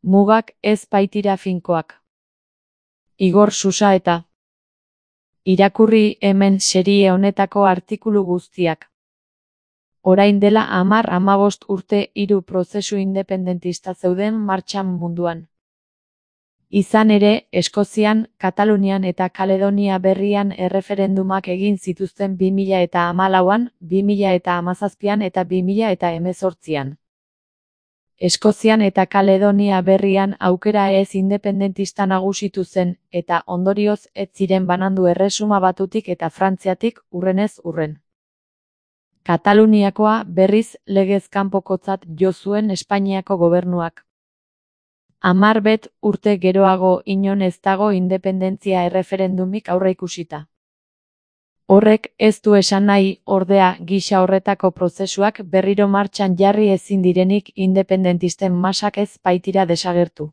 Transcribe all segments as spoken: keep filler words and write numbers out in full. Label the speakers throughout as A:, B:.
A: Mugak ez baitira finkoak. Igor Susaeta. Irakurri hemen serie honetako artikulu guztiak. Orain dela hamar hamabost urte hiru prozesu independentista zeuden martxan munduan. Izan ere, Eskozian, Katalunian eta Kaledonia Berrian erreferendumak egin zituzten bi mila eta hamalauan, bi mila eta hamazazpian eta bi mila eta hemezortzian. Eskozian eta Kaledonia Berrian aukera ez independentista nagusitu zen, eta ondorioz ez ziren banandu Erresuma Batutik eta Frantziatik hurrenez hurren. Kataluniakoa berriz legez kanpokotzat jo zuen Espainiako gobernuak. Hamar bet urte geroago inon ez dago independentzia erreferendumik aurreikusita. Horrek ez du esan nahi, ordea, gisa horretako prozesuak berriro martxan jarri ezin direnik independentisten masak ez baitira desagertu.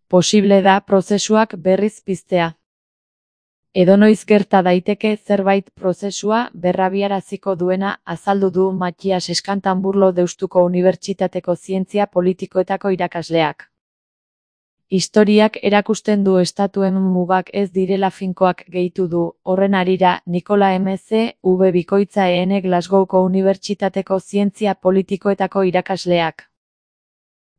A: Posible da prozesuak berriz piztea. Edonoiz gerta daiteke zerbait prozesua berrabiaraziko duena azaldu du Matias Eskantanburlo Deustuko Unibertsitateko Zientzia Politikoetako irakasleak. Historiak erakusten du estatuen mugak ez direla finkoak gehitu du, horren harira Nikola M C V Bikoitza E N Glasgowko Unibertsitateko Zientzia Politikoetako irakasleak.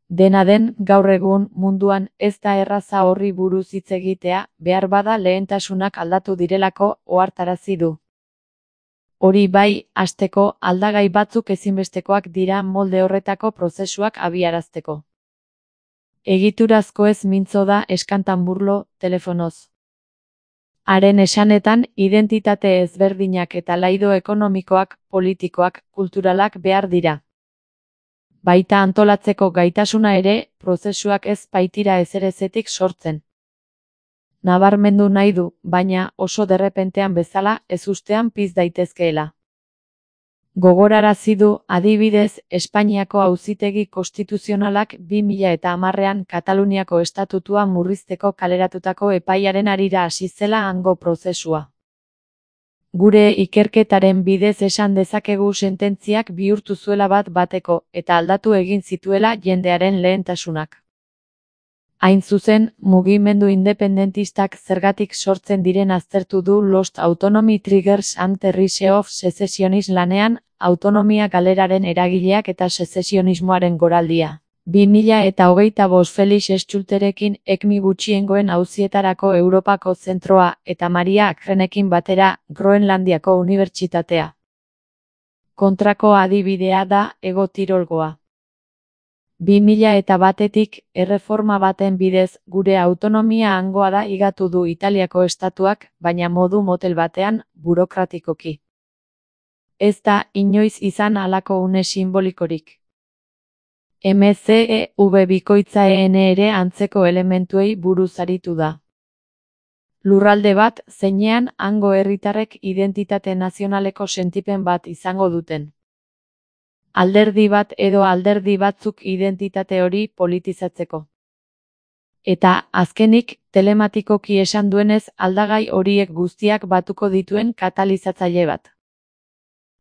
A: Dena den, gaur egun munduan ez da erraza horri buruz hitz egitea, behar bada lehentasunak aldatu direlako ohartarazi du. Hori bai, hasteko, aldagai batzuk ezinbestekoak dira molde horretako prozesuak abiarazteko. Egiturazko ez mintzo da Eskantanburlo, telefonoz. Haren esanetan, identitate ezberdinak eta laido ekonomikoak, politikoak, kulturalak behar dira. Baita antolatzeko gaitasuna ere, prozesuak ez baitira ezerezetik sortzen. Nabarmendu nahi du, baina oso derrepentean bezala ezustean piz daitezkeela. Gogorarazi du, adibidez, Espainiako Auzitegi Konstituzionalak bi mila eta hamarrean Kataluniako estatutua murrizteko kaleratutako epaiaren harira hasi zela hango prozesua. Gure ikerketaren bidez esan dezakegu sententziak bihurtu zuela bat bateko, eta aldatu egin zituela jendearen lehentasunak. Hain zuzen, mugimendu independentistak zergatik sortzen diren aztertu du Lost Autonomy Triggers and the Rise of Secessionism lanean, autonomia galeraren eragileak eta sezesionismoaren goraldia. bi mila eta hogeita bost Felix Schulterekin ekmi gutxiengoen auzietarako Europako zentroa eta Maria Akrenekin batera Groenlandiako unibertsitatea. Kontrako adibidea da Hego Tirolgoa. bi mila eta batetik, erreforma baten bidez, gure autonomia hangoa da higatu du Italiako estatuak, baina modu motel batean, burokratikoki. Ez da inoiz izan halako une simbolikorik. M C V Bikoitza E N ere antzeko elementuei buruz aritu da. Lurralde bat, zeinean hango herritarrek identitate nazionaleko sentipen bat izango duten. Alderdi bat edo alderdi batzuk identitate hori politizatzeko. Eta, azkenik, telematikoki esan duenez aldagai horiek guztiak batuko dituen katalizatzaile bat.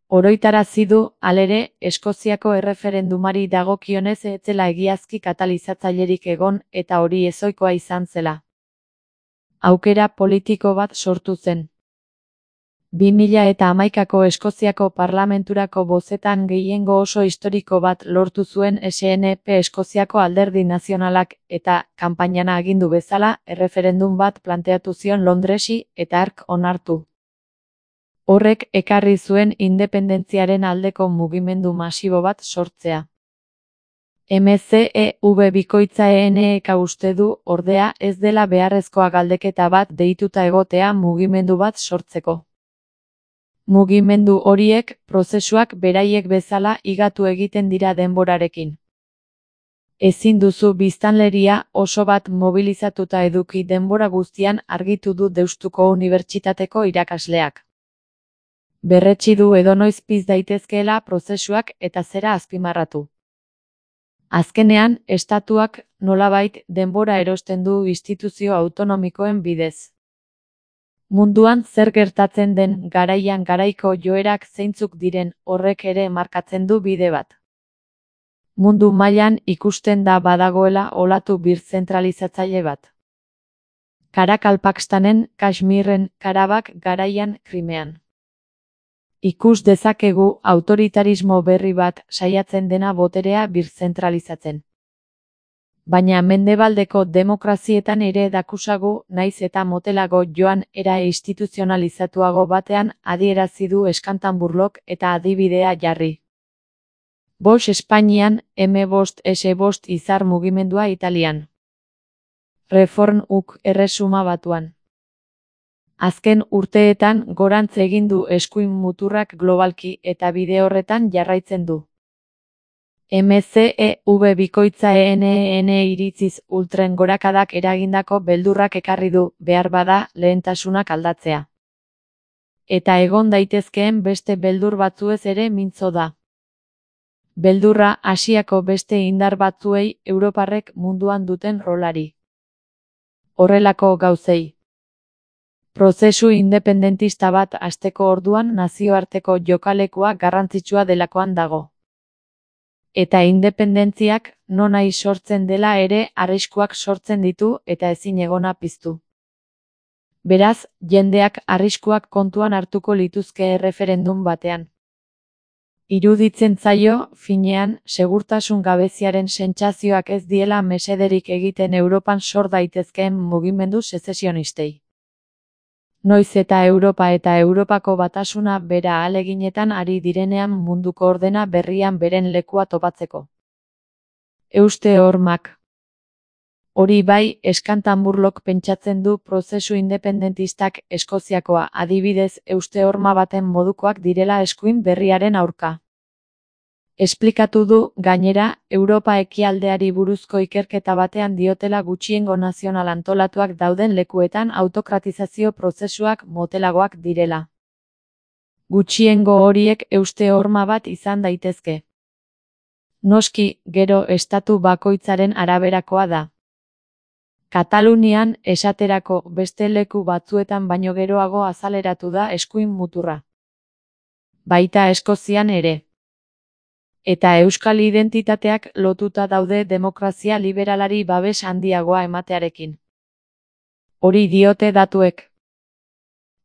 A: Oroitarazi du, halere, Eskoziako erreferendumari dagokionez ez zela egiazki katalizatzailerik egon eta hori ezohikoa izan zela. Aukera politiko bat sortu zen. bi mila eta hamaikako Eskoziako parlamenturako bozetan gehiengo oso historiko bat lortu zuen S N P Eskoziako Alderdi Nazionalak eta, kanpainan agindu bezala, erreferendum bat planteatu zion Londresi eta hark onartu. Horrek ekarri zuen independentziaren aldeko mugimendu masibo bat sortzea. M C V Bikoitza E N ek uste du, ordea, ez dela beharrezkoa galdeketa bat deituta egotea mugimendu bat sortzeko. Mugimendu horiek, prozesuak beraiek bezala higatu egiten dira denborarekin. Ezin duzu biztanleria oso bat mobilizatuta eduki denbora guztian argitu du Deustuko Unibertsitateko irakasleak. Berretsi du edonoiz piz daitezkeela prozesuak eta zera azpimarratu. Azkenean, estatuak, nolabait, denbora erosten du instituzio autonomikoen bidez. Munduan zer gertatzen den garaian garaiko joerak zeintzuk diren horrek ere markatzen du bide bat. Mundu mailan ikusten da badagoela olatu birzentralizatzaile bat. Karakal Pakistanen, Kashmirren, Karabak garaian Krimean. Ikus dezakegu autoritarismo berri bat saiatzen dena boterea birzentralizatzen. Baina mendebaldeko demokrazietan ere dakusagu naiz eta motelago joan era instituzionalizatuago batean adierazi du Eskantanburlok eta adibidea jarri. Bost Espainian, eme bost ese bost izar mugimendua Italian. Reform uk erresuma batuan. Azken urteetan gorantz egin du eskuin muturrak globalki eta bide horretan jarraitzen du. eme ce e ve bikoitza ene iritziz ultren gorakadak eragindako beldurrak ekarri du, behar bada, lehentasunak aldatzea. Eta egon daitezkeen beste beldur batzuez ere mintzo da. Beldurra Asiako beste indar batzuei Europarrek munduan duten rolari. Horrelako gauzei. Prozesu independentista bat hasteko orduan nazioarteko jokalekua garrantzitsua delakoan dago. Eta independentziak nonahi sortzen dela ere arriskuak sortzen ditu eta ezin egona piztu. Beraz, jendeak arriskuak kontuan hartuko lituzke erreferendum batean. Iruditzen zaio, finean, segurtasun gabeziaren sentsazioak ez diela mesederik egiten Europan sor daitezkeen mugimendu sezesionistei. Noiz eta Europa eta Europako batasuna bera ahaleginetan ari direnean munduko ordena berrian beren lekua topatzeko. Euste hormak. Hori bai, Eskantanburlok pentsatzen du prozesu independentistak Eskoziakoa adibidez euste horma baten modukoak direla eskuin berriaren aurka. Esplikatu du, gainera, Europa ekialdeari buruzko ikerketa batean diotela gutxiengo nazional antolatuak dauden lekuetan autokratizazio prozesuak motelagoak direla. Gutxiengo horiek euste horma bat izan daitezke. Noski, gero estatu bakoitzaren araberakoa da. Katalunian, esaterako, beste leku batzuetan baino geroago azaleratu da eskuin muturra. Baita Eskozian ere. Eta euskal identitateak lotuta daude demokrazia liberalari babes handiagoa ematearekin. Hori diote datuek.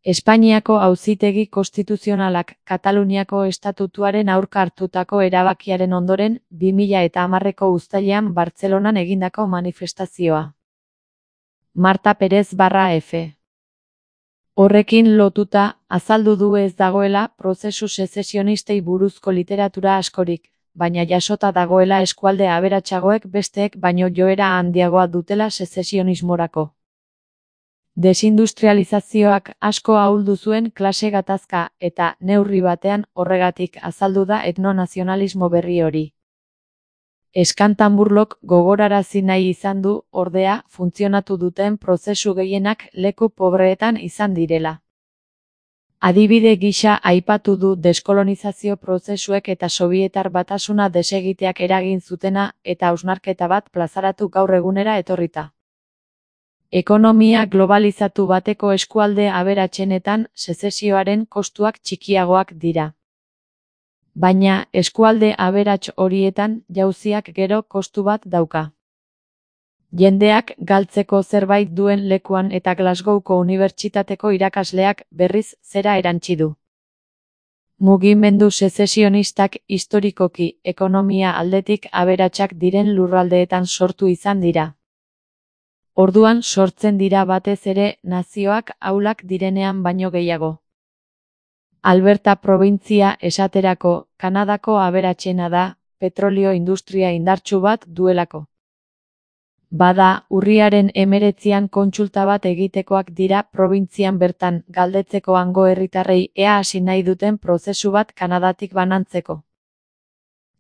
A: Espainiako auzitegi konstituzionalak Kataluniako estatutuaren aurka hartutako erabakiaren ondoren bi mila hamareko uztailean Bartzelonan egindako manifestazioa. Marta Perez barra F. Horrekin lotuta, azaldu du ez dagoela prozesu sezesionistei buruzko literatura askorik, baina jasota dagoela eskualde aberatsagoek besteek baino joera handiagoa dutela sezesionismorako. Desindustrializazioak asko ahuldu zuen klase gatazka eta, neurri batean, horregatik azaldu da etnonazionalismo berri hori. Eskantanburlok gogorarazi nahi izan du, ordea, funtzionatu duten prozesu gehienak leku pobreetan izan direla. Adibide gisa aipatu du deskolonizazio prozesuek eta Sobietar batasuna desegiteak eragin zutena eta hausnarketa bat plazaratu gaur egunera etorrita. Ekonomia globalizatu bateko eskualde aberatsenetan sezesioaren kostuak txikiagoak dira. Baina, eskualde aberats horietan jauziak gero kostu bat dauka. Jendeak galtzeko zerbait duen lekuan eta Glasgowko unibertsitateko irakasleak berriz zera erantsi du. Mugimendu sezesionistak historikoki ekonomia aldetik aberatsak diren lurraldeetan sortu izan dira. Orduan sortzen dira batez ere nazioak ahulak direnean baino gehiago. Alberta probintzia esaterako, Kanadako aberatsena da, petrolio industria indartsu bat duelako. Bada, urriaren hemeretzian kontsulta bat egitekoak dira probintzian bertan galdetzeko hango herritarrei ea hasi nahi duten prozesu bat Kanadatik banantzeko.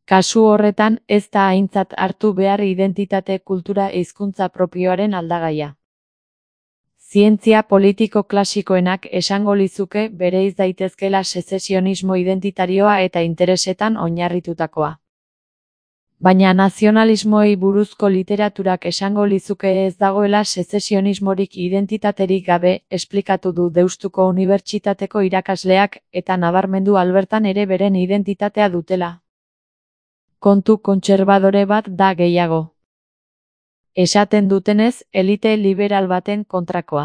A: Kasu horretan ez da aintzat hartu behar identitate kultura hizkuntza propioaren aldagaia. Zientzia politiko klasikoenak esango lizuke bereiz daitezkela sezesionismo identitarioa eta interesetan oinarritutakoa. Baina nazionalismoei buruzko literaturak esango lizuke ez dagoela sezesionismorik identitaterik gabe, esplikatu du Deustuko Unibertsitateko irakasleak eta nabarmendu Albertan ere beren identitatea dutela. kontu kontserbadore bat da gehiago. Esaten dutenez, elite liberal baten kontrakoa.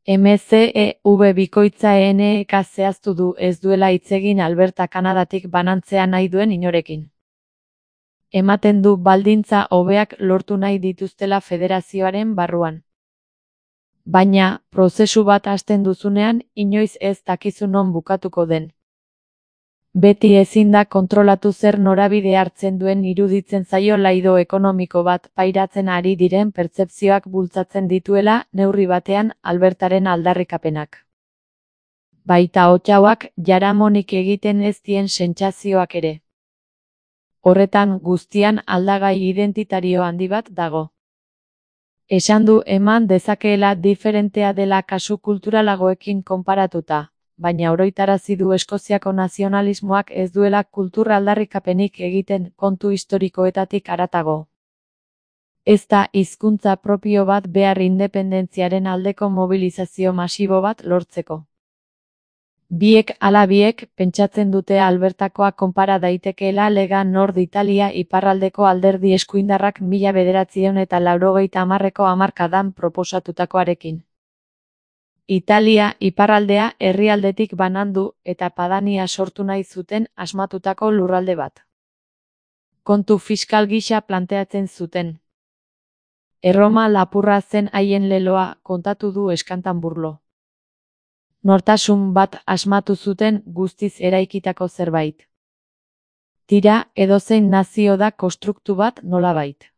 A: M C E V bikoitza E N E-k zehaztu du ez duela hitz egin Alberta Kanadatik banantzea nahi duen inorekin. Ematen du baldintza hobeak lortu nahi dituztela federazioaren barruan. Baina, prozesu bat hasten duzunean, inoiz ez dakizu non bukatuko den. Beti ezin da kontrolatu zer norabide hartzen duen iruditzen zaio laido ekonomiko bat pairatzen ari diren pertzepzioak bultzatzen dituela neurri batean Albertaren aldarrikapenak. Baita Ottawak jaramonik egiten ez dien sentsazioak ere. Horretan guztian aldagai identitario handi bat dago. Esan du eman dezakeela diferentea dela kasu kulturalagoekin konparatuta, baina oroitarazi du Eskoziako nazionalismoak ez duela kultur aldarrikapenik egiten kontu historikoetatik haratago. Ez da hizkuntza propio bat behar independentziaren aldeko mobilizazio masibo bat lortzeko. Biek ala biek pentsatzen dute Albertakoa konpara daitekeela Lega Nord Italia iparraldeko alderdi eskuindarrak mila bederatziehun eta laurogeita hamarreko hamarkadan proposatutakoarekin. Italia iparraldea herrialdetik banandu eta Padania sortu nahi zuten asmatutako lurralde bat. Kontu fiskal gisa planteatzen zuten. Erroma lapurra zen haien leloa, kontatu du Eskantanburlo. Nortasun bat asmatu zuten guztiz eraikitako zerbait. Tira, edozein nazio da konstruktu bat nolabait.